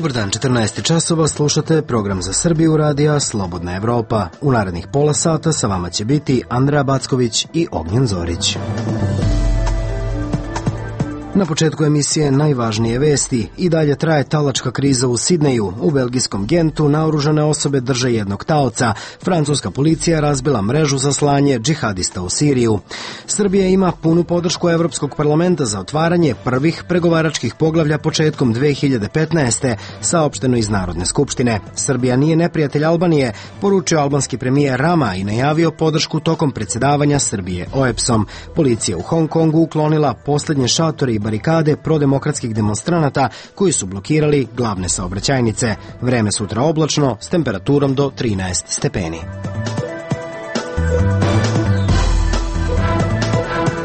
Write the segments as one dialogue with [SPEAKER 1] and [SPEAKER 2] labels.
[SPEAKER 1] Dobar dan, 14 časova, slušate program za Srbiju radija Slobodna Evropa. U narednih pola sata sa vama će biti Andreja Backović i Ognjen Zorić. Na početku emisije najvažnije vesti. I dalje traje talačka kriza u Sidneju. U belgijskom Gentu naoružane osobe drže jednog taoca. Francuska policija razbila mrežu za slanje džihadista u Siriju. Srbija ima punu podršku Evropskog parlamenta za otvaranje prvih pregovaračkih poglavlja početkom 2015. saopšteno iz Narodne skupštine. Srbija nije neprijatelj Albanije, poručio albanski premijer Rama i najavio podršku tokom predsjedavanja Srbije OEBS-om. Policija u Hong Kongu uklonila posljednje šatore i barikade prodemokratskih demonstranata koji su blokirali glavne saobraćajnice. Vreme sutra oblačno s temperaturom do 13 stepeni.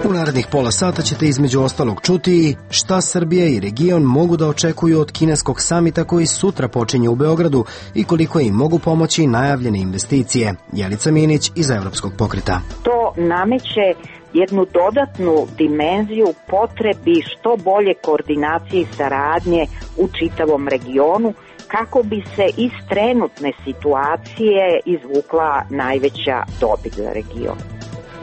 [SPEAKER 1] U narednih pola sata ćete između ostalog čuti šta Srbija i region mogu da očekuju od kineskog samita koji sutra počinje u Beogradu i koliko im mogu pomoći najavljene investicije. Jelica Minić iz Evropskog pokreta.
[SPEAKER 2] To nameće jednu dodatnu dimenziju potrebi što bolje koordinacije i saradnje u čitavom regionu kako bi se iz trenutne situacije izvukla najveća dobit za region.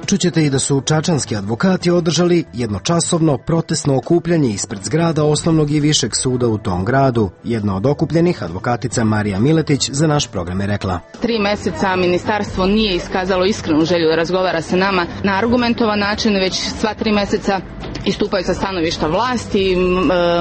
[SPEAKER 1] Čućete i da su čačanski advokati održali jednočasovno protestno okupljanje ispred zgrada osnovnog i višeg suda u tom gradu. Jedna od okupljenih, advokatica Marija Miletić, za naš program je rekla:
[SPEAKER 3] 3 meseca ministarstvo nije iskazalo iskrenu želju da razgovara sa nama na argumentovan način, već sva 3 meseca istupaju sa stanovišta vlasti,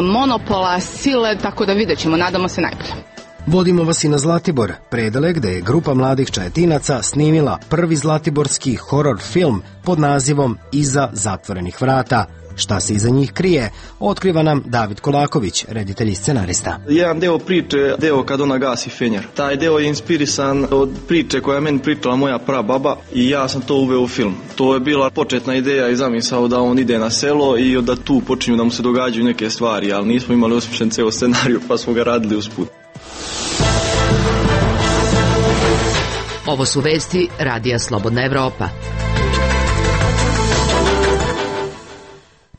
[SPEAKER 3] monopola, sile, tako da vidjet ćemo, nadamo se najbolje.
[SPEAKER 1] Vodimo vas i na Zlatibor, Predele, gde je grupa mladih Čajetinaca snimila prvi zlatiborski horor film pod nazivom Iza zatvorenih vrata. Šta se iza njih krije, otkriva nam David Kolaković, reditelj i scenarista.
[SPEAKER 4] Jedan deo priče, deo kad ona gasi fenjer. Taj deo je inspirisan od priče koja je meni pričala moja prababa i ja sam to uveo u film. To je bila početna ideja i zamisao da on ide na selo i da tu počinju da mu se događaju neke stvari, ali nismo imali osmišljen ceo scenariju pa smo ga radili usput.
[SPEAKER 5] Ovo su vesti Radija Slobodna Evropa.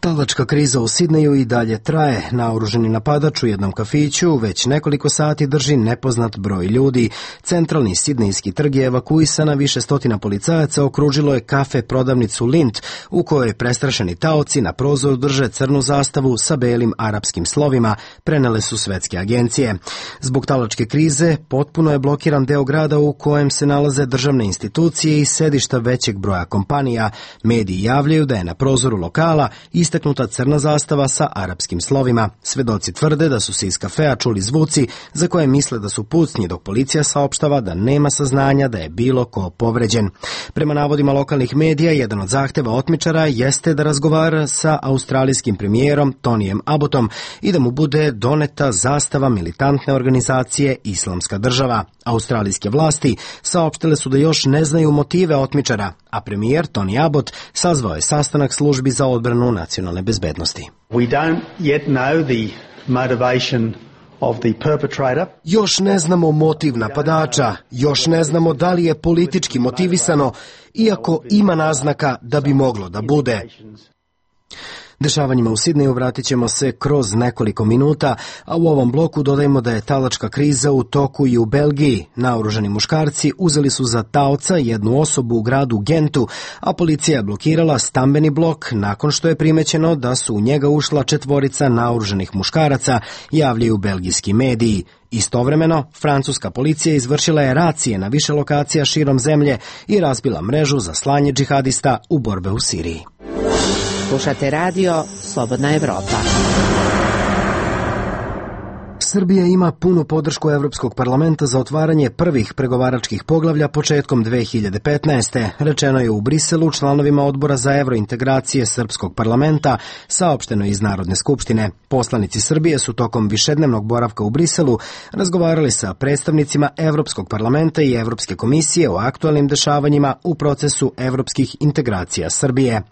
[SPEAKER 1] Talačka kriza u Sidneju i dalje traje. Naoruženi napadač u jednom kafiću već nekoliko sati drži nepoznat broj ljudi. Centralni sidnejski trg je evakuisan, a više stotina policajaca okružilo je kafe prodavnicu Lint, u kojoj prestrašeni taoci na prozoru drže crnu zastavu sa belim arapskim slovima, prenele su svetske agencije. Zbog talačke krize potpuno je blokiran deo grada u kojem se nalaze državne institucije i sedišta većeg broja kompanija. Mediji javljaju da je na prozoru lokala istaknuta crna zastava sa arapskim slovima. Svedoci tvrde da su se iz kafea čuli zvuci za koje misle da su pucnji, dok policija saopštava da nema saznanja da je bilo ko povređen. Prema navodima lokalnih medija, jedan od zahteva otmičara jeste da razgovara sa australijskim premijerom Tonijem Abbotom i da mu bude doneta zastava militantne organizacije Islamska država. Australijske vlasti saopštile su da još ne znaju motive otmičara, a premijer Tony Abbott sazvao je sastanak službi za odbranu nacionalne bezbednosti.
[SPEAKER 6] We don't yet know the motivation of the perpetrator.
[SPEAKER 1] Još ne znamo motiv napadača, još ne znamo da li je politički motivisano, iako ima naznaka da bi moglo da bude. Dešavanjima u Sidneju vratit ćemo se kroz nekoliko minuta, a u ovom bloku dodajemo da je talačka kriza u toku i u Belgiji. Naoružani muškarci uzeli su za taoca jednu osobu u gradu Gentu, a policija je blokirala stambeni blok nakon što je primećeno da su u njega ušla 4 naoružanih muškaraca, javljaju belgijski mediji. Istovremeno, francuska policija izvršila je racije na više lokacija širom zemlje i razbila mrežu za slanje džihadista u borbe u Siriji.
[SPEAKER 5] Slušate radio Slobodna Evropa.
[SPEAKER 1] Srbija ima punu podršku Evropskog parlamenta za otvaranje prvih pregovaračkih poglavlja početkom 2015. Rečeno je u Briselu članovima odbora za evrointegracije Srpskog parlamenta, saopšteno iz Narodne skupštine. Poslanici Srbije su tokom višednevnog boravka u Briselu razgovarali sa predstavnicima Evropskog parlamenta i Evropske komisije o aktualnim dešavanjima u procesu evropskih integracija Srbije.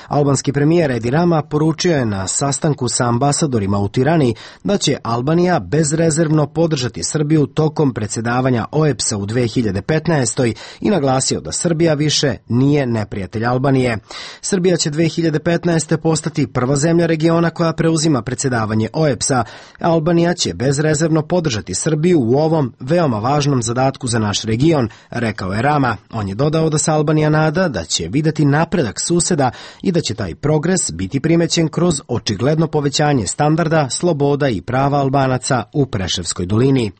[SPEAKER 1] Albanski premijer Edi Rama poručio je na sastanku sa ambasadorima u Tirani da će Albanija bezrezervno podržati Srbiju tokom predsjedavanja OEBS-a u 2015. i naglasio da Srbija više nije neprijatelj Albanije. Srbija će 2015. postati prva zemlja regiona koja preuzima predsjedavanje OEBS-a. Albanija će bezrezervno podržati Srbiju u ovom veoma važnom zadatku za naš region, rekao je Rama. On je dodao da se Albanija nada da će videti napredak suseda i da će taj progres biti primećen kroz očigledno povećanje standarda, sloboda i prava Albanaca u Preševskoj dolini.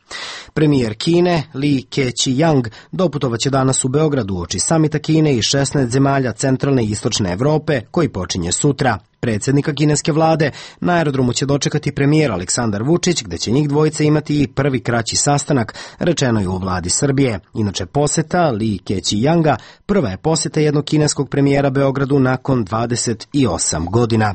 [SPEAKER 1] Premijer Kine Li Keqiang doputovaće danas u Beogradu uoči samita Kine i 16 zemalja centralne i istočne Evrope koji počinje sutra. Predsjednika kineske vlade na aerodromu će dočekati premijer Aleksandar Vučić, gde će njih dvojica imati i prvi kraći sastanak, rečeno je u vladi Srbije. Inače, poseta Li Keqianga prva je poseta jednog kineskog premijera Beogradu nakon 28 godina.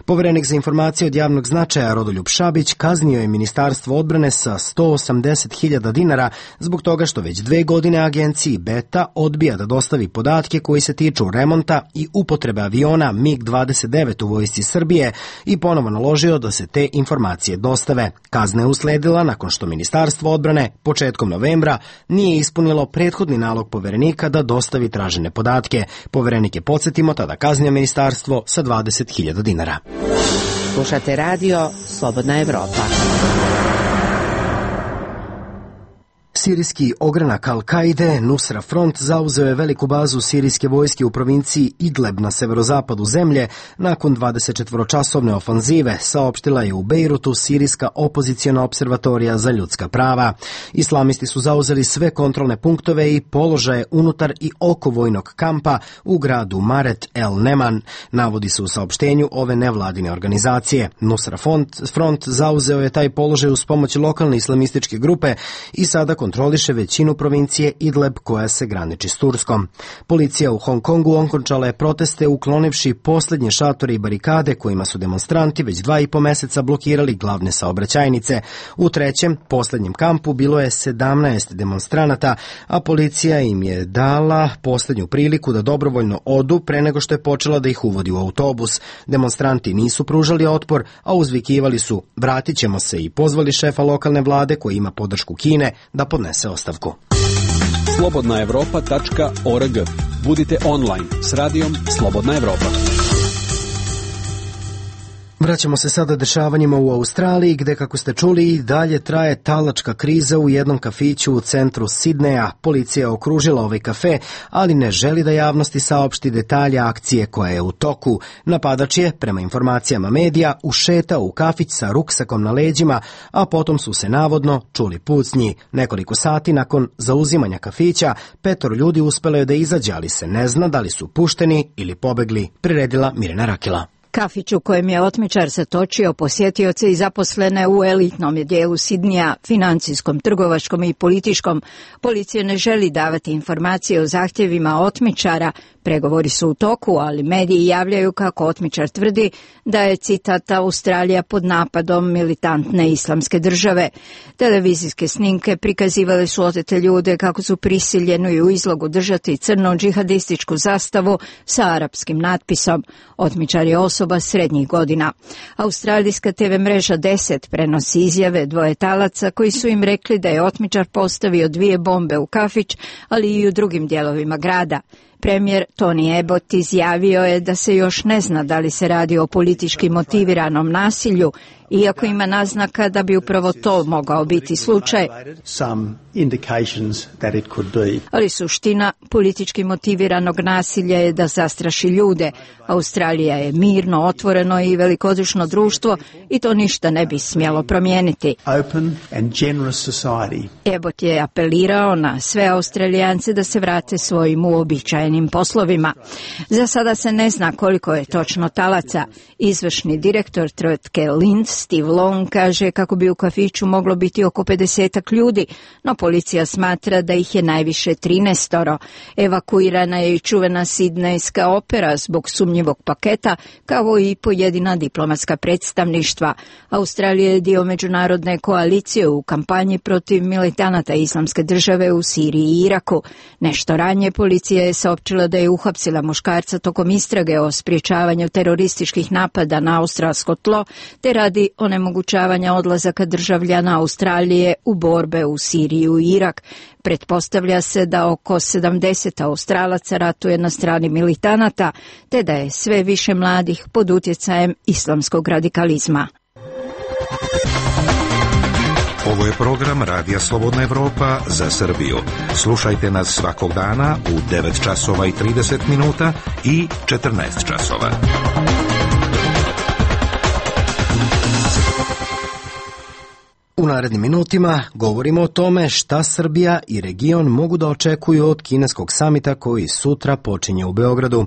[SPEAKER 1] Poverenik za informacije od javnog značaja Rodoljub Šabić kaznio je Ministarstvo odbrane sa 180.000 dinara zbog toga što već 2 godine agenciji Beta odbija da dostavi podatke koji se tiču remonta i upotrebe aviona MiG-29 u vojsci Srbije i ponovo naložio da se te informacije dostave. Kazna je usledila nakon što Ministarstvo odbrane početkom novembra nije ispunilo prethodni nalog poverenika da dostavi tražene podatke. Poverenik je, podsjetimo, tada kaznio ministarstvo sa 20.000 dinara.
[SPEAKER 5] Slušate radio Slobodna Evropa.
[SPEAKER 1] Sirijski ogranak Al-Kaide, Nusra Front, zauzeo je veliku bazu sirijske vojske u provinciji Idleb na severozapadu zemlje nakon 24-časovne ofanzive, saopštila je u Bejrutu sirijska opoziciona observatorija za ljudska prava. Islamisti su zauzeli sve kontrolne punktove i položaje unutar i oko vojnog kampa u gradu Maret el Neman, navodi se u saopštenju ove nevladine organizacije. Nusra Front zauzeo je taj položaj uz pomoć lokalne islamističke grupe i sada kontroliše većinu provincije Idleb koja se graniči s Turskom. Policija u Hong Kongu okončala je proteste uklonivši posljednje šatore i barikade kojima su demonstranti već 2,5 meseca blokirali glavne saobraćajnice. U trećem, posljednjem kampu bilo je 17 demonstranata, a policija im je dala posljednju priliku da dobrovoljno odu pre nego što je počela da ih uvodi u autobus. Demonstranti nisu pružali otpor, a uzvikivali su "vratit ćemo se" i pozvali šefa lokalne vlade koji ima podršku Kine da podnese ostavku.
[SPEAKER 7] slobodnaevropa.org. Budite online s radijom Slobodna Evropa.
[SPEAKER 1] Vraćamo se sada dešavanjima u Australiji, gde, kako ste čuli, i dalje traje talačka kriza u jednom kafiću u centru Sidneja. Policija je okružila ovaj kafe, ali ne želi da javnosti saopšti detalje akcije koja je u toku. Napadač je, prema informacijama medija, ušetao u kafić sa ruksakom na leđima, a potom su se navodno čuli pucnji. Nekoliko sati nakon zauzimanja kafića, 5 ljudi uspelo je da izađe, ali se ne zna da li su pušteni ili pobegli, priredila Mirjana Rakela.
[SPEAKER 8] Kafić u kojem je otmičar zatočio posjetioce i zaposlene u elitnom dijelu Sidnija, financijskom, trgovačkom i političkom. Policija ne želi davati informacije o zahtjevima otmičara. Pregovori su u toku, ali mediji javljaju kako otmičar tvrdi da je, citat, Australija pod napadom militantne islamske države. Televizijske snimke prikazivale su otete ljude kako su prisiljeni u izlogu držati crnu džihadističku zastavu sa arapskim natpisom. Otmičar je osoba srednjih godina. Australijska TV mreža 10 prenosi izjave 2 talaca koji su im rekli da je otmičar postavio 2 bombe u kafić, ali i u drugim dijelovima grada. Premijer Tony Abbott izjavio je da se još ne zna da li se radi o politički motiviranom nasilju, iako ima naznaka da bi upravo to mogao biti slučaj. Ali suština politički motiviranog nasilja je da zastraši ljude. Australija je mirno, otvoreno i velikodušno društvo i to ništa ne bi smjelo promijeniti. Abbott je apelirao na sve Australijance da se vrate svojim uobičajenim poslovima. Za sada se ne zna koliko je točno talaca. Izvršni direktor tvrtke Lind, Steve Long, kaže kako bi u kafiću moglo biti oko 50 ljudi, no policija smatra da ih je najviše 13. Evakuirana je i čuvena sidnejska opera zbog sumnjivog paketa, kao i pojedina diplomatska predstavništva. Australija je dio međunarodne koalicije u kampanji protiv militanata islamske države u Siriji i Iraku. Nešto ranije policija je saopćila da je uhapsila muškarca tokom istrage o sprječavanju terorističkih napada na australsko tlo, te radi cilj onemogućavanja odlazaka državljana Australije u borbe u Siriju i Irak. Pretpostavlja se da oko 70 Australaca ratuje na strani militanata, te da je sve više mladih pod utjecajem islamskog radikalizma.
[SPEAKER 9] Ovo je program Radija Slobodna Evropa za Srbiju. Slušajte nas svakog dana u 9 časova i 30 minuta i 14 časova.
[SPEAKER 1] U narednim minutima govorimo o tome šta Srbija i region mogu da očekuju od kineskog samita koji sutra počinje u Beogradu.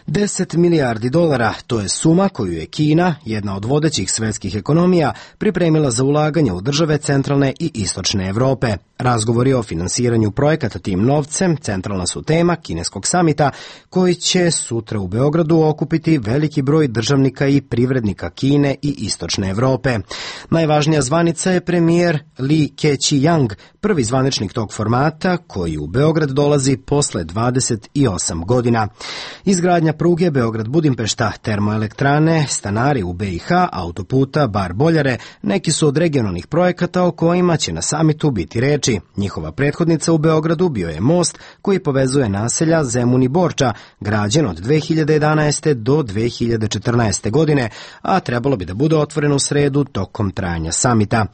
[SPEAKER 1] 10 milijardi dolara, to je suma koju je Kina, jedna od vodećih svetskih ekonomija, pripremila za ulaganje u države centralne i istočne Evrope. Razgovori o finansiranju projekata tim novcem centralna su tema kineskog samita koji će sutra u Beogradu okupiti veliki broj državnika i privrednika Kine i istočne Evrope. Najvažnija zvanica je premijer Li Keqiang, prvi zvaničnik tog formata koji u Beograd dolazi posle 28 godina. Izgradnja pruge Beograd-Budimpešta, termoelektrane, stanari u BiH, autoputa, bar boljare, neki su od regionalnih projekata o kojima će na samitu biti reči. Njihova prethodnica u Beogradu bio je most koji povezuje naselja Zemun i Borča, građen od 2011. do 2014. godine, a trebalo bi da bude otvoren u sredu tokom trajanja samita.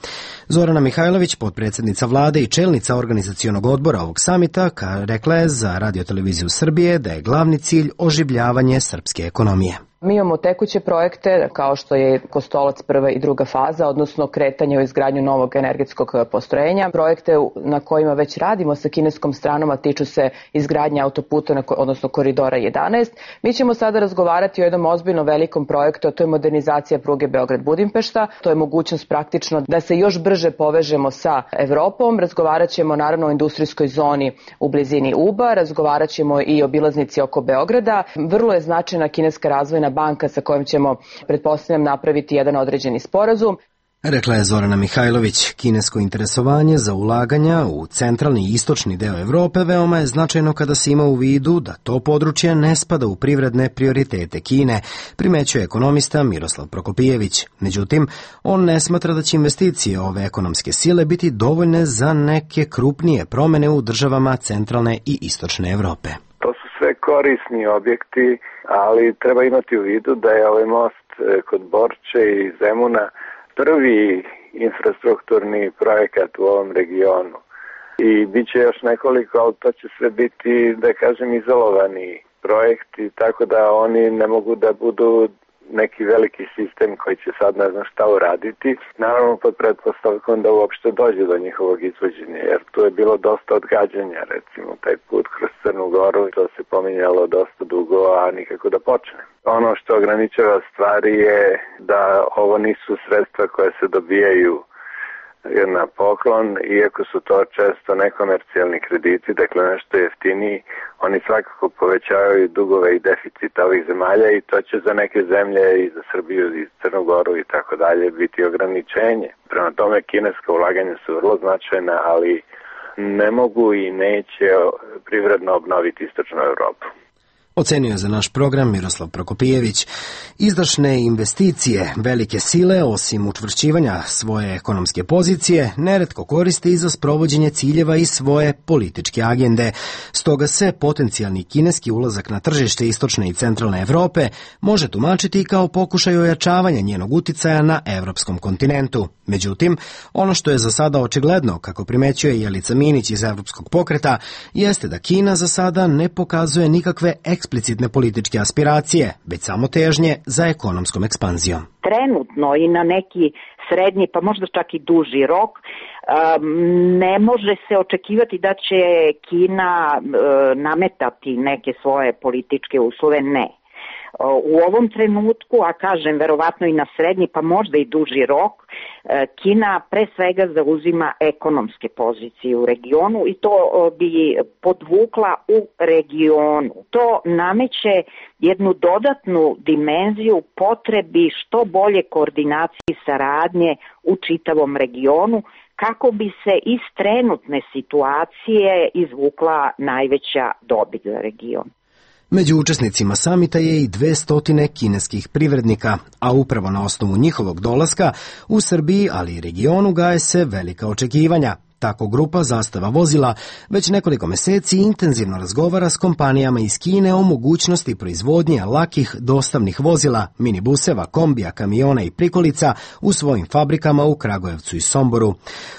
[SPEAKER 1] Zorana Mihajlović, potpredsjednica vlade i čelnica organizacionog odbora ovog samita, rekla je za Radio-televiziju Srbije da je glavni cilj oživljavanje srpske ekonomije.
[SPEAKER 10] Mi imamo tekuće projekte kao što je Kostolac prva i druga faza, odnosno kretanje u izgradnju novog energetskog postrojenja. Projekte na kojima već radimo sa kineskom stranom, a tiču se izgradnje autoputa, odnosno koridora 11. Mi ćemo sada razgovarati o jednom ozbiljno velikom projektu, a to je modernizacija pruge Beograd-Budimpešta. To je mogućnost praktično da se još brže povežemo sa Evropom. Razgovarat ćemo naravno o industrijskoj zoni u blizini Uba, razgovarat ćemo i o obilaznici oko Beograda. Vrlo je značajna kineska razvojna banka sa kojom ćemo, pretpostavljam, napraviti jedan određeni sporazum.
[SPEAKER 1] Rekla je Zorana Mihajlović. Kinesko interesovanje za ulaganja u centralni i istočni deo Evrope veoma je značajno kada se ima u vidu da to područje ne spada u privredne prioritete Kine, primećuje ekonomista Miroslav Prokopijević. Međutim, on ne smatra da će investicije ove ekonomske sile biti dovoljne za neke krupnije promene u državama centralne i istočne Evrope.
[SPEAKER 11] To su sve korisni objekti, ali treba imati u vidu da je ovaj most kod Borče i Zemuna prvi infrastrukturni projekat u ovom regionu. I bit će još nekoliko, ali to će sve biti, da kažem, izolovani projekti, tako da oni ne mogu da budu neki veliki sistem koji će sad ne znam šta uraditi. Naravno pod pretpostavkom da uopšte dođe do njihovog izvođenja, jer tu je bilo dosta odgađanja, recimo taj put kroz Crnu Goru, to se pominjalo dosta dugo, a nikako da počne. Ono što ograničava stvari je da ovo nisu sredstva koje se dobijaju na poklon, iako su to često nekomercijalni krediti, dakle nešto jeftiniji, oni svakako povećavaju dugove i deficita ovih zemalja i to će za neke zemlje i za Srbiju i Crnu Goru i tako dalje biti ograničenje. Prema tome kineska ulaganja su vrlo značajna, ali ne mogu i neće privredno obnoviti istočnu Evropu.
[SPEAKER 1] Ocenio je za naš program Miroslav Prokopijević. Izdašne investicije velike sile, osim učvršćivanja svoje ekonomske pozicije, neretko koriste i za sprovođenje ciljeva i svoje političke agende. Stoga se potencijalni kineski ulazak na tržište istočne i centralne Evrope može tumačiti kao pokušaj ojačavanja njenog uticaja na evropskom kontinentu. Međutim, ono što je za sada očigledno, kako primećuje Jelica Minić iz Evropskog pokreta, jeste da Kina za sada ne pokazuje nikakve eksplicitne političke aspiracije, već samo težnje za ekonomskom ekspanzijom.
[SPEAKER 2] Trenutno i na neki srednji, pa možda čak i duži rok, ne može se očekivati da će Kina nametati neke svoje političke uslove, ne. U ovom trenutku, a kažem verovatno i na srednji pa možda i duži rok, Kina pre svega zauzima ekonomske pozicije u regionu i to bi podvukla u regionu. To nameće jednu dodatnu dimenziju potrebi što bolje koordinacije i saradnje u čitavom regionu kako bi se iz trenutne situacije izvukla najveća dobit za region.
[SPEAKER 1] Među učesnicima samita je i 200 kineskih privrednika, a upravo na osnovu njihovog dolaska u Srbiji, ali i regionu, gaje se velika očekivanja. Tako grupa Zastava vozila već nekoliko meseci intenzivno razgovara s kompanijama iz Kine o mogućnosti proizvodnje lakih dostavnih vozila, minibuseva, kombija, kamiona i prikolica u svojim fabrikama u Kragujevcu i Somboru.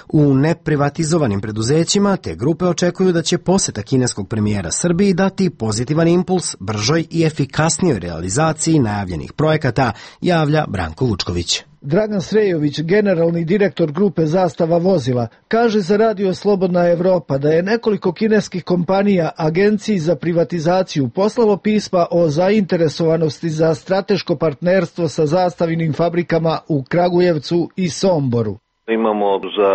[SPEAKER 1] U neprivatizovanim preduzećima te grupe očekuju da će poseta kineskog premijera Srbiji dati pozitivan impuls bržoj i efikasnijoj realizaciji najavljenih projekata, javlja Branko Vučković.
[SPEAKER 12] Dragan Srejović, generalni direktor grupe Zastava vozila, kaže za Radio Slobodna Evropa da je nekoliko kineskih kompanija Agenciji za privatizaciju poslalo pisma o zainteresovanosti za strateško partnerstvo sa zastavinim fabrikama u Kragujevcu i Somboru.
[SPEAKER 13] Imamo za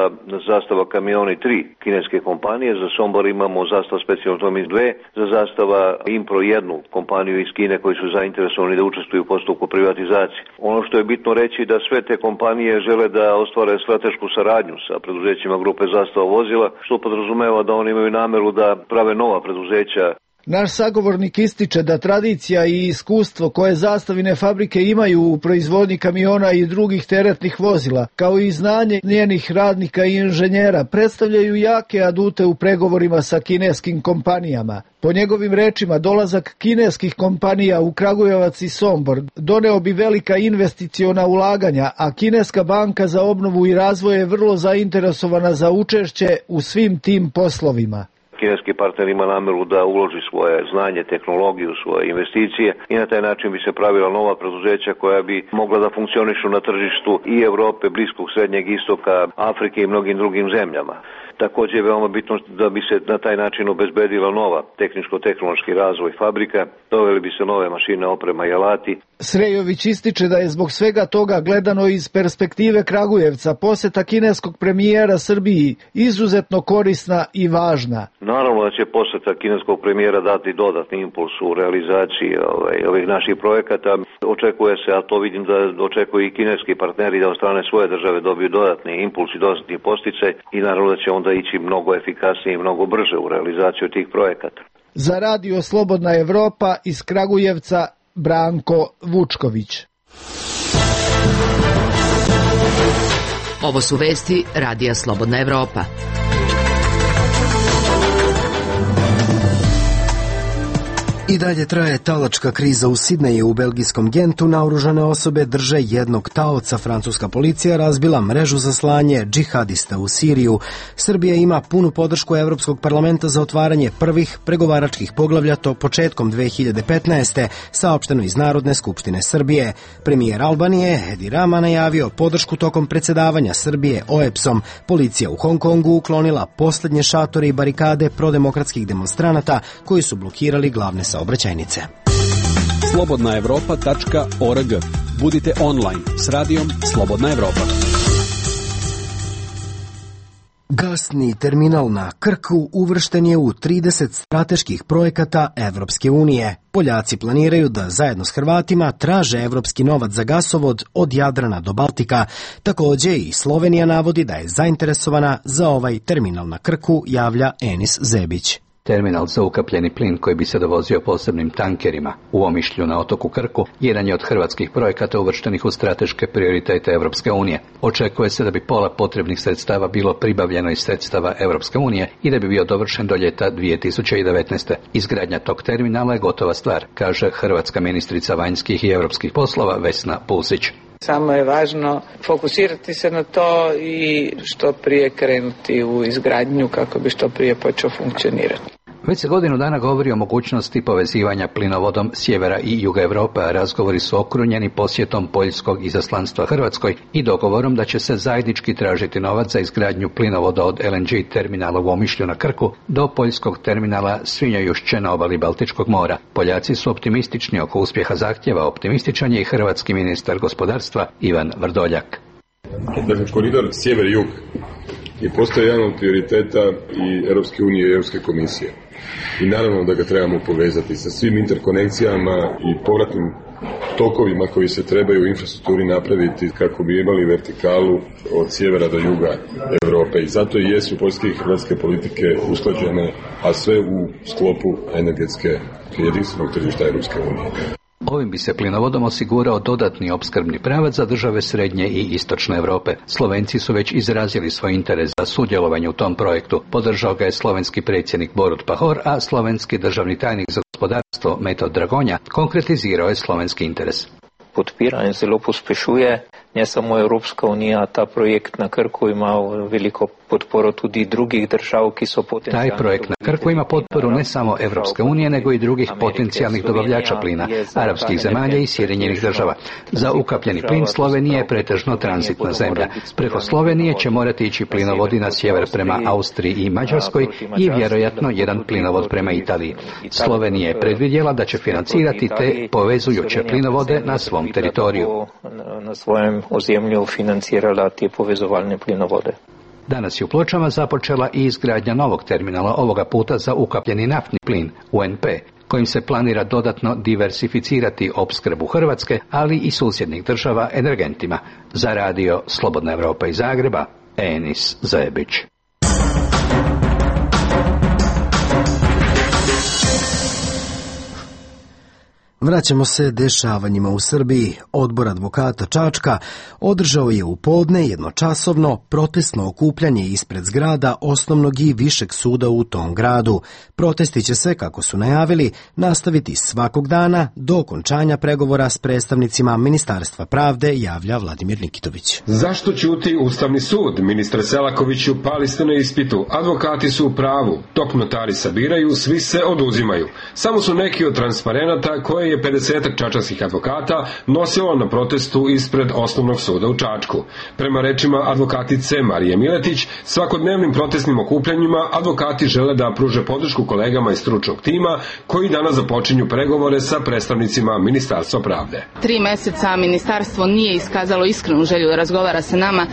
[SPEAKER 13] Zastava kamioni 3 kineske kompanije, za Sombor imamo Zastava specijalno Tomis 2, za Zastava Impro 1 kompaniju iz Kine koji su zainteresovani da učestvuju u postupku privatizacije. Ono što je bitno reći da sve te kompanije žele da ostvare stratešku saradnju sa preduzećima grupe Zastava vozila, što podrazumeva da oni imaju nameru da prave nova preduzeća.
[SPEAKER 12] Naš sagovornik ističe da tradicija i iskustvo koje zastavine fabrike imaju u proizvodnji kamiona i drugih teretnih vozila, kao i znanje njenih radnika i inženjera, predstavljaju jake adute u pregovorima sa kineskim kompanijama. Po njegovim rečima, dolazak kineskih kompanija u Kragujevac i Sombor doneo bi velika investiciona ulaganja, a Kineska banka za obnovu i razvoj je vrlo zainteresovana za učešće u svim tim poslovima.
[SPEAKER 13] Kineski partner ima nameru da uloži svoje znanje, tehnologiju, svoje investicije i na taj način bi se pravila nova preduzeća koja bi mogla da funkcionišu na tržištu i Evrope, Bliskog, Srednjeg istoka, Afrike i mnogim drugim zemljama. Također je veoma bitno da bi se na taj način obezbedila nova tehničko-tehnološki razvoj fabrika, doveli bi se nove mašine, oprema i alati.
[SPEAKER 12] Srejović ističe da je zbog svega toga gledano iz perspektive Kragujevca poseta kineskog premijera Srbiji izuzetno korisna i važna.
[SPEAKER 13] Naravno da će poseta kineskog premijera dati dodatni impuls u realizaciji ovih naših projekata. Očekuje se, a to vidim da očekuju i kineski partneri da od strane svoje države dobiju dodatni impuls i dodatni posticaj i naravno da će onda ići mnogo efikasnije i mnogo brže u realizaciju tih projekata.
[SPEAKER 12] Za Radio Slobodna Evropa iz Kragujevca Branko Vučković.
[SPEAKER 5] Ovo su vesti Radija Slobodna Evropa.
[SPEAKER 1] I dalje traje talačka kriza u Sidneju. U belgijskom Gentu naoružane osobe drže jednog taoca. Francuska policija razbila mrežu za slanje džihadista u Siriju. Srbija ima punu podršku Evropskog parlamenta za otvaranje prvih pregovaračkih poglavlja to početkom 2015. saopšteno iz Narodne skupštine Srbije. Premijer Albanije Edi Rama najavio podršku tokom predsjedavanja Srbije OEBS-om. Policija u Hong Kongu uklonila posljednje šatore i barikade prodemokratskih demonstranata koji su blokirali glavne saobraćajnice.
[SPEAKER 7] slobodnaevropa.org. Budite online s radijom Slobodna Evropa.
[SPEAKER 1] Gasni terminal na Krku uvršten je u 30 strateških projekata Evropske unije. Poljaci planiraju da zajedno s Hrvatima traže evropski novac za gasovod od Jadrana do Baltika. Također i Slovenija navodi da je zainteresovana za ovaj terminal na Krku, javlja Enis Zebić.
[SPEAKER 14] Terminal za ukapljeni plin koji bi se dovozio posebnim tankerima u Omišlju na otoku Krku jedan je od hrvatskih projekata uvrštenih u strateške prioritete Evropske unije. Očekuje se da bi pola potrebnih sredstava bilo pribavljeno iz sredstava Evropske unije i da bi bio dovršen do ljeta 2019. Izgradnja tog terminala je gotova stvar, kaže hrvatska ministrica vanjskih i europskih poslova Vesna Pusić.
[SPEAKER 15] Samo je važno fokusirati se na to i što prije krenuti u izgradnju kako bi što prije počeo funkcionirati.
[SPEAKER 14] Već se godinu dana govori o mogućnosti povezivanja plinovodom sjevera i juga Europe, a razgovori su okrunjeni posjetom poljskog izaslanstva Hrvatskoj i dogovorom da će se zajednički tražiti novac za izgradnju plinovoda od LNG terminala u Omišlju na Krku do poljskog terminala Svinjojušće na obali Baltičkog mora. Poljaci su optimistični oko uspjeha zahtjeva, optimističan je i hrvatski ministar gospodarstva Ivan Vrdoljak.
[SPEAKER 16] Dakle, koridor sjever-jug je postao jedan od prioriteta i Europske unije i Europske komisije. I naravno da ga trebamo povezati sa svim interkonekcijama i povratnim tokovima koji se trebaju u infrastrukturi napraviti kako bi imali vertikalu od sjevera do juga Evrope. I zato i jesu poljske i hrvatske politike usklađene, a sve u sklopu energetske jedinstvenog tržišta Europske unije.
[SPEAKER 14] Ovim bi se plinovodom osigurao dodatni opskrbni pravac za države srednje i istočne Europe. Slovenci su već izrazili svoj interes za sudjelovanje u tom projektu. Podržao ga je slovenski predsjednik Borut Pahor, a slovenski državni tajnik za gospodarstvo Metod Dragonja konkretizirao je slovenski interes.
[SPEAKER 17] Podpira in zelo pospešuje ne samo Evropska unija, ta projekt na Krku ima veliko podporo tudi drugih držav, ki so potencijalni.
[SPEAKER 14] Taj projekt na Krku ima potporu ne samo Evropske unije, nego i drugih potencijalnih dobavljača plina, arapskih zemalja i Sjedinjenih država. Za ukapljeni plin Slovenija je pretežno tranzitna zemlja. Preko Slovenije će morati ići plinovodi na sjever prema Austriji i Mađarskoj i vjerojatno jedan plinovod prema Italiji. Slovenija je predvidjela da će financirati te povezujuće plinovode na svom teritoriju.
[SPEAKER 17] Na svojem ozemlju financirala te povezovalne plinovode.
[SPEAKER 14] Danas je u Pločama započela i izgradnja novog terminala, ovoga puta za ukapljeni naftni plin, UNP, kojim se planira dodatno diversificirati opskrbu Hrvatske, ali i susjednih država energentima. Za radio Slobodna Evropa iz Zagreba, Enis Zebić.
[SPEAKER 1] Vraćamo se dešavanjima u Srbiji. Odbor advokata Čačka održao je u podne jednočasovno protestno okupljanje ispred zgrada osnovnog i višeg suda u tom gradu. Protesti će se, kako su najavili, nastaviti svakog dana do okončanja pregovora s predstavnicima Ministarstva pravde, javlja Vladimir Nikitović.
[SPEAKER 18] Zašto ćuti Ustavni sud? Ministre Selakoviću, pali ste na ispitu. Advokati su u pravu. Dok notari sabiraju, svi se oduzimaju. Samo su neki od transparenata koje je 50 čačanskih advokata nosilo na protestu ispred osnovnog suda u Čačku. Prema rečima advokatice Marije Miletić, svakodnevnim protestnim okupljanjima advokati žele da pruže podršku kolegama iz stručnog tima koji danas započinju pregovore sa predstavnicima Ministarstva pravde.
[SPEAKER 3] 3 meseca ministarstvo nije iskazalo iskrenu želju da razgovara sa nama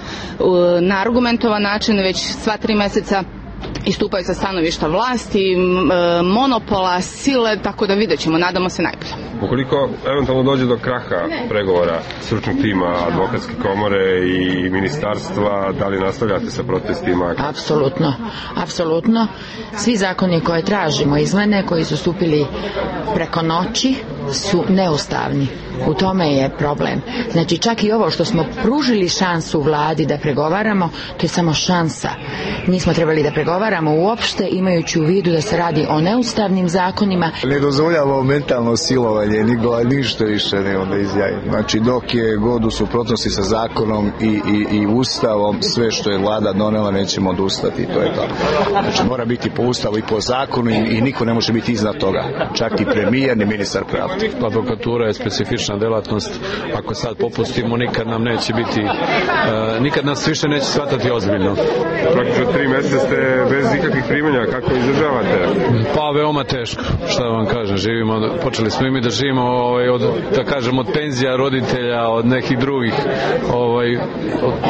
[SPEAKER 3] na argumentovan način, već sva 3 meseca istupaju sa stanovišta vlasti, monopola, sile, tako da vidjet ćemo, nadamo se najbolje.
[SPEAKER 16] Ukoliko eventualno dođe do kraha pregovora stručnog tima, advokatske komore i ministarstva, da li nastavljate sa protestima?
[SPEAKER 19] Apsolutno. Svi zakoni koje tražimo, izmene koji su stupili preko noći, su neustavni. U tome je problem. Znači, čak i ovo što smo pružili šansu vladi da pregovaramo, to je samo šansa. Nismo trebali da pregovaramo uopšte, imajući u vidu da se radi o neustavnim zakonima.
[SPEAKER 20] Ne dozvoljava mentalno silovanje, ništa više ne onda izjavi. Znači, dok je god u suprotnosti sa zakonom i ustavom, sve što je vlada donela nećemo odustati, to je to. Znači, mora biti po ustavu i po zakonu i niko ne može biti iznad toga. Čak i premijer, ni ministar pravde.
[SPEAKER 21] Advokatura je specifična delatnost. Ako sad popustimo, nikad nam neće biti, nikad nas više neće shvatati ozbiljno.
[SPEAKER 16] Praktično 3 mjeseca ste bez ikakvih primanja, kako izdržavate?
[SPEAKER 21] Pa veoma teško, šta vam kažem, počeli smo i mi da živimo od penzija roditelja, od nekih drugih,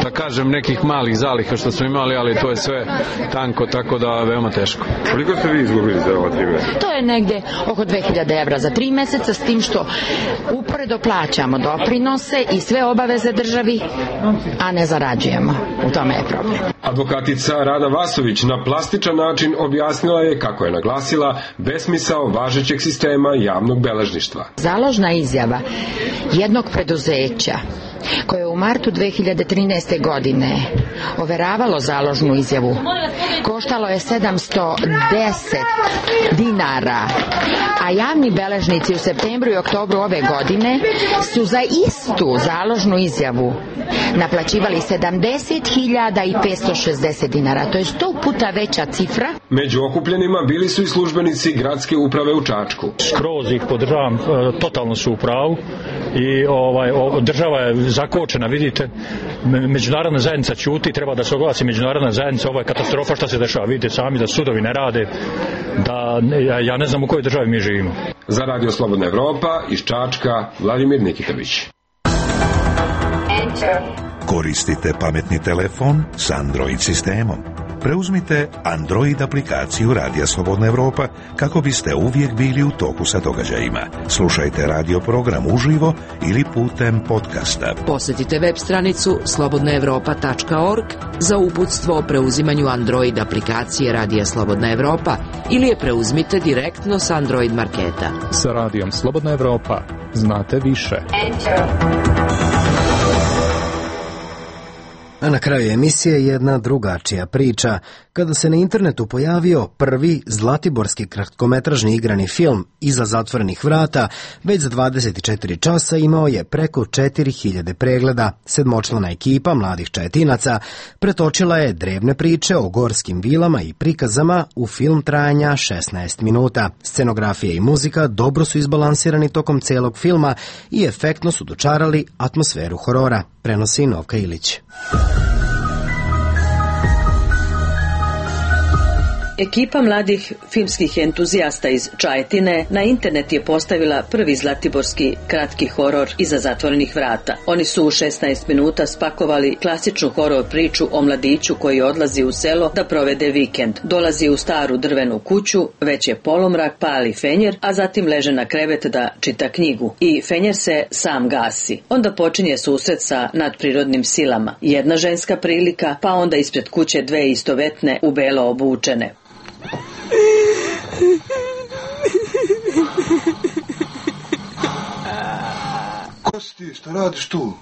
[SPEAKER 21] da kažem nekih malih zaliha što smo imali, ali to je sve tanko, tako da veoma teško.
[SPEAKER 16] Koliko ste vi izgubili za ova 3 mjeseca?
[SPEAKER 19] To je negde oko 2000 evra za 3 mjeseca, s tim što uporedo plaćamo doprinose i sve obaveze državi, a ne zarađujemo. U tome je problem.
[SPEAKER 18] Advokatica Rada Vasović na plastičan način objasnila je, kako je naglasila, besmisao važećeg sistema javnog beležništva.
[SPEAKER 19] Založna izjava jednog preduzeća koje je u martu 2013. godine overavalo založnu izjavu koštalo je 710 dinara, a javni beležnici u septembru i oktobru ove godine su za istu založnu izjavu naplaćivali 70.560 dinara. To je 100 puta veća cifra.
[SPEAKER 18] Među okupljenima bili su i službenici gradske uprave u Čačku.
[SPEAKER 22] Skroz ih podržavam, totalno su u pravu i država je zakočena, vidite, međunarodna zajednica ćuti, treba da se oglasi međunarodna zajednica, ovo je katastrofa šta se dešava, vidite sami da sudovi ne rade, da ja ne znam u kojoj državi mi živimo.
[SPEAKER 18] Za Radio Slobodna Evropa iz Čačka, Vladimir Nikitović.
[SPEAKER 9] Koristite pametni telefon s Android sistemom. Preuzmite Android aplikaciju Radija Slobodna Evropa kako biste uvijek bili u toku sa događajima. Slušajte radio program uživo ili putem podcasta.
[SPEAKER 5] Posjetite web stranicu slobodnaevropa.org za uputstvo o preuzimanju Android aplikacije Radija Slobodna Evropa ili je preuzmite direktno s Android marketa.
[SPEAKER 4] Sa Radijom Slobodna Evropa znate više.
[SPEAKER 1] A na kraju emisije jedna drugačija priča. Kada se na internetu pojavio prvi zlatiborski kratkometražni igrani film Iza zatvorenih vrata, već za 24 časa imao je preko 4000 pregleda. Sedmočlana ekipa mladih Čajetinaca pretočila je drevne priče o gorskim vilama i prikazama u film trajanja 16 minuta. Scenografija i muzika dobro su izbalansirani tokom celog filma i efektno su dočarali atmosferu horora, prenosi Novka Ilić.
[SPEAKER 6] Ekipa mladih filmskih entuzijasta iz Čajetine na internet je postavila prvi zlatiborski kratki horor Iza zatvorenih vrata. Oni su u 16 minuta spakovali klasičnu horor priču o mladiću koji odlazi u selo da provede vikend. Dolazi u staru drvenu kuću, već je polumrak, pali fenjer, a zatim leže na krevet da čita knjigu. I fenjer se sam gasi. Onda počinje susret sa nadprirodnim silama. Jedna ženska prilika, pa onda ispred kuće dve istovetne u belo obučene.
[SPEAKER 23] Ko si ti, šta radiš tu?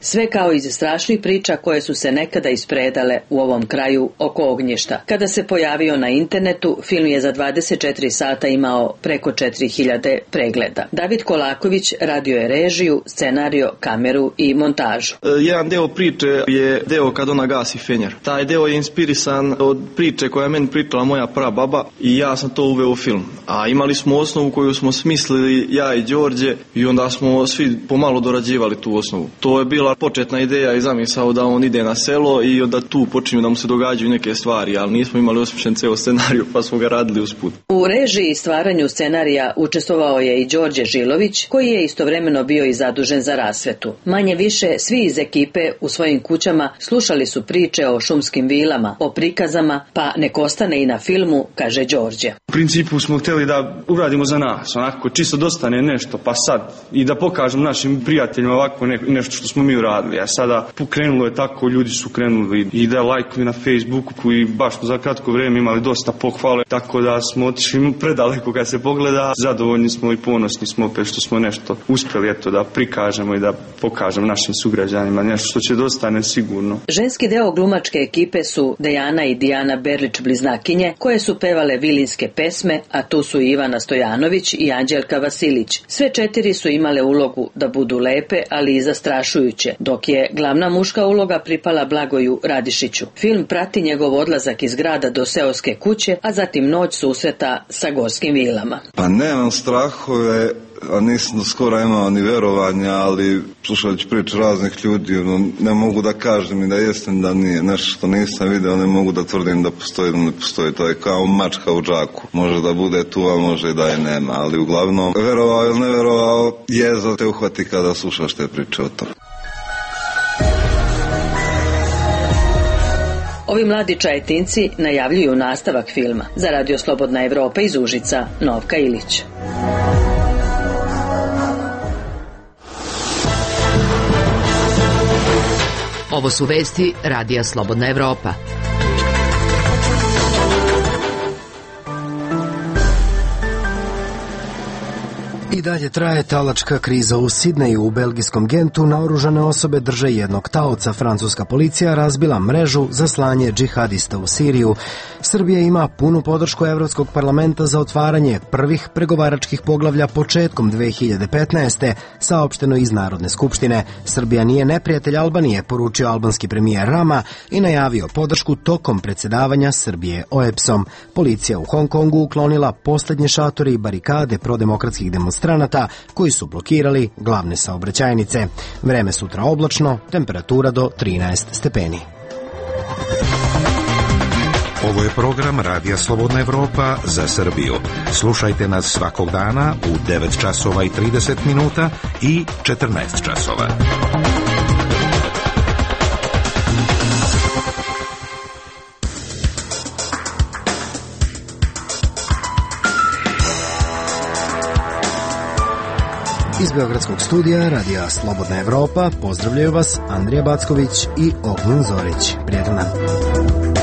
[SPEAKER 6] Sve kao iz strašnih priča koje su se nekada ispredale u ovom kraju oko ognjišta. Kada se pojavio na internetu, film je za 24 sata imao preko 4000 pregleda. David Kolaković radio je režiju, scenariju, kameru i montažu.
[SPEAKER 24] Jedan deo priče je deo kad ona gasi fenjer. Taj deo je inspirisan od priče koja je meni pričala moja prababa i ja sam to uveo u film. A imali smo osnovu koju smo smislili ja i Đorđe i onda smo svi pomalo dorađivali tu osnovu. To je bila početna ideja i zamisao da on ide na selo i onda tu počinju da mu se događaju neke stvari, ali nismo imali osmišljen ceo scenariju pa smo ga radili usput.
[SPEAKER 6] U režiji i stvaranju scenarija učestvovao je i Đorđe Žilović, koji je istovremeno bio i zadužen za rasvetu. Manje više svi iz ekipe u svojim kućama slušali su priče o šumskim vilama, o prikazama, pa nek ostane i na filmu, kaže Đorđe.
[SPEAKER 24] U principu smo htjeli da uradimo za nas, onako čisto dostane nešto, pa sad i da pokažem našim prijateljima ovako nešto što smo mi uradili. A sada pokrenulo je tako, ljudi su krenuli i da lajkuju na Facebooku i baš za kratko vrijeme imali dosta pohvale, tako da smo otišli predaleko kad se pogleda. Zadovoljni smo i ponosni smo opet što smo nešto uspjeli da prikažemo i da pokažemo našim sugrađanima nešto što će dostane sigurno.
[SPEAKER 6] Ženski deo glumačke ekipe su Dejana i Dijana Berlić bliznakinje, koje su pevale vilinske pesme, a tu su Ivana Stojanović i Anđelka Vasilić. Sve četiri su imale ulogu da budu lepe, ali i zastrašujuće, dok je glavna muška uloga pripala Blagoju Radišiću. Film prati njegov odlazak iz grada do seoske kuće, a zatim noć susreta sa gorskim vilama.
[SPEAKER 23] Pa nemam strahove, a nisam skoro imao ni verovanja, ali slušajući priče raznih ljudi, ne mogu da kažem i da jesam da nije nešto što nisam video, ne mogu da tvrdim da postoji ili ne postoji. To je kao mačka u džaku. Može da bude tu, a može i da je nema, ali uglavnom verovao ili ne verovao, jeza te uhvati kada slušaš te priče o tome.
[SPEAKER 6] Ovi mladi Čajetinci najavljuju nastavak filma. Za Radio Slobodna Evropa iz Užica, Novka Ilić.
[SPEAKER 5] Ovo su vesti Radija Slobodna Evropa.
[SPEAKER 1] I dalje traje talačka kriza u Sidneju. U belgijskom Gentu naoružane osobe drže jednog taoca. Francuska policija razbila mrežu za slanje džihadista u Siriju. Srbija ima punu podršku Evropskog parlamenta za otvaranje prvih pregovaračkih poglavlja početkom 2015. saopšteno iz Narodne skupštine. Srbija nije neprijatelj Albanije, poručio albanski premijer Rama i najavio podršku tokom predsjedavanja Srbije OEBS-om. Policija u Hong Kongu uklonila posljednje šatore i barikade prodemokratskih demonstranata koji su blokirali glavne saobraćajnice. Vreme sutra oblačno, temperatura do 13 stepeni.
[SPEAKER 9] Ovo je program Radija Slobodna Evropa za Srbiju. Slušajte nas svakog dana u 9 časova i 30 minuta i 14 časova.
[SPEAKER 1] Iz Beogradskog studija Radija Slobodna Evropa pozdravljaju vas Andrija Backović i Ognjen Zorić. Prijetan dan.